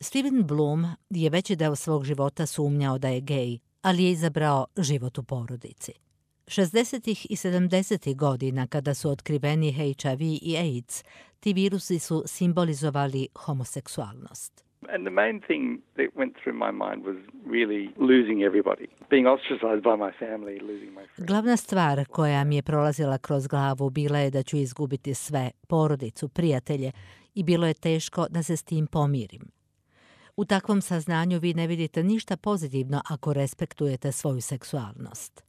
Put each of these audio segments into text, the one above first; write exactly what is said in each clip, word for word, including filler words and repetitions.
Steven Blum je veći deo svog života sumnjao da je gej, ali je izabrao život u porodici. šezdesetih i sedamdesetih godina, kada su otkriveni H I V i AIDS, ti virusi su simbolizovali homoseksualnost. And the main thing that went through my mind was really losing everybody, being ostracized by my family, losing my friends. Glavna stvar koja mi je prolazila kroz glavu bila je da ću izgubiti sve, porodicu, prijatelje, i bilo je teško da se s tim pomirim. U takvom saznanju vi ne vidite ništa pozitivno ako respektujete svoju seksualnost.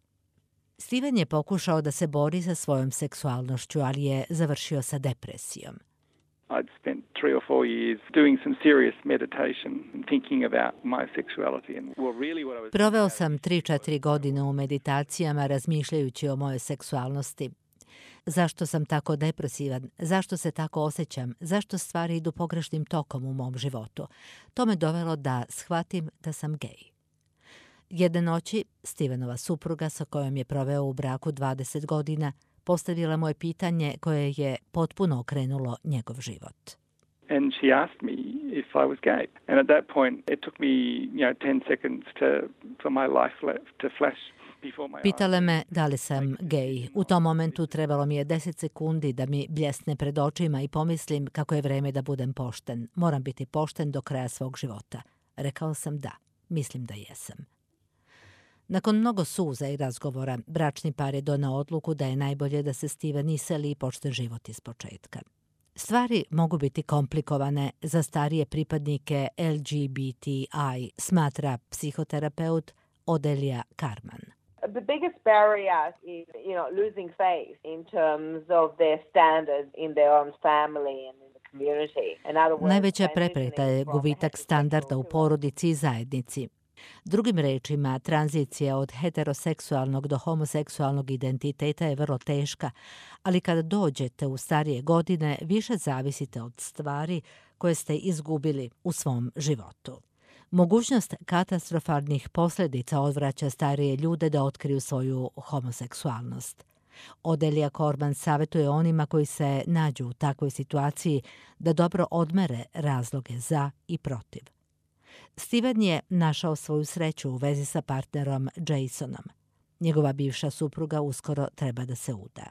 Steven je pokušao da se bori sa svojom seksualnošću, ali je završio sa depresijom. I'd spent three or four years doing some serious meditation and thinking about my sexuality and well really what I was Proveo sam tri četiri godine u meditacijama razmišljajući o mojoj seksualnosti. Zašto sam tako depresivan? Zašto se tako osjećam? Zašto stvari idu pogrešnim tokom u mom životu? To me dovelo da shvatim da sam gej. Jedne noći, Stevenova supruga sa kojom je proveo u braku dvadeset godina, postavila mu je pitanje koje je potpuno okrenulo njegov život. And she asked me if I was gay. And at that point it took me, you know, ten seconds to for my life left to flash before my eyes. Pitala me da li sam gej. U tom momentu trebalo mi je deset sekundi da mi bljesne pred očima i pomislim kako je vreme da budem pošten. Moram biti pošten do kraja svog života. Rekao sam da. Mislim da jesam. Nakon mnogo suza i razgovora, bračni par je donao odluku da je najbolje da se Steven iseli i počne život iz početka. Stvari mogu biti komplikovane za starije pripadnike L G B T I, smatra psihoterapeut Odelia Carman. The biggest barrier is, you know, losing faith in terms of their standards in their own family and in the community. In other words, Najveća prepreka je gubitak standarda u porodici i zajednici. Drugim rečima, tranzicija od heteroseksualnog do homoseksualnog identiteta je vrlo teška, ali kada dođete u starije godine, više zavisite od stvari koje ste izgubili u svom životu. Mogućnost katastrofalnih posljedica odvraća starije ljude da otkriju svoju homoseksualnost. Odelia Corman savjetuje onima koji se nađu u takvoj situaciji da dobro odmere razloge za i protiv. Steven je našao svoju sreću u vezi sa partnerom Jasonom. Njegova bivša supruga uskoro treba da se uda.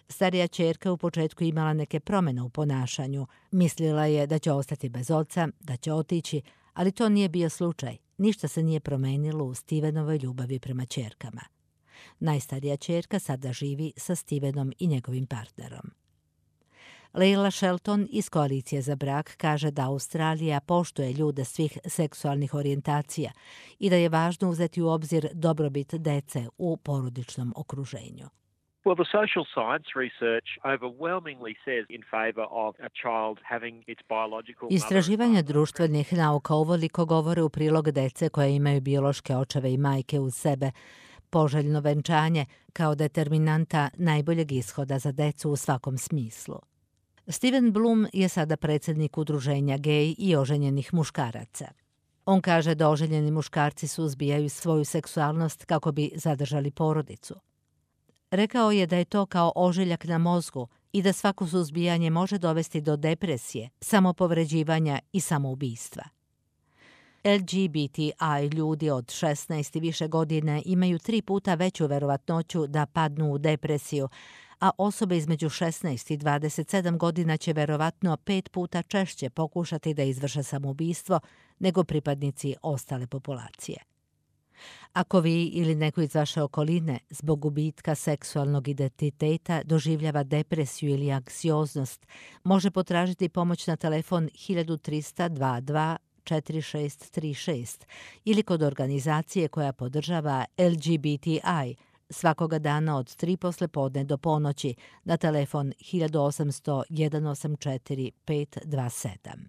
Starija ćerka u početku imala neke promjene u ponašanju. Mislila je da će ostati bez oca, da će otići, ali to nije bio slučaj. Ništa se nije promenilo u Stevenovoj ljubavi prema ćerkama. Najstarija ćerka sada živi sa Stevenom i njegovim partnerom. Leila Shelton iz Koalicije za brak kaže da Australija poštuje ljude svih seksualnih orijentacija i da je važno uzeti u obzir dobrobit dece u porodičnom okruženju. Well, the social science research overwhelmingly says in favor of a child having its biological mother. Istraživanja društvenih nauka uveliko govore u prilog dece koje imaju biološke očeve i majke uz sebe, poželjno venčanje kao determinanta najboljeg ishoda za decu u svakom smislu. Steven Blum je sada predsjednik udruženja gej i oženjenih muškaraca. On kaže da oženjeni muškarci suzbijaju svoju seksualnost kako bi zadržali porodicu. Rekao je da je to kao ožiljak na mozgu i da svako suzbijanje može dovesti do depresije, samopovređivanja i samoubistva. L G B T I ljudi od šesnaest i više godine imaju tri puta veću verovatnoću da padnu u depresiju, a osobe između šesnaest i dvadeset sedam godina će verovatno pet puta češće pokušati da izvrše samoubistvo nego pripadnici ostale populacije. Ako vi ili neko iz vaše okoline zbog gubitka seksualnog identiteta doživljava depresiju ili anksioznost, može potražiti pomoć na telefon hiljadu trista dvadeset dva četiri šest tri šest ili kod organizacije koja podržava L G B T I svakoga dana od tri poslijepodne do ponoći na telefon hiljadu osamsto jedan osam četiri pet dva sedam.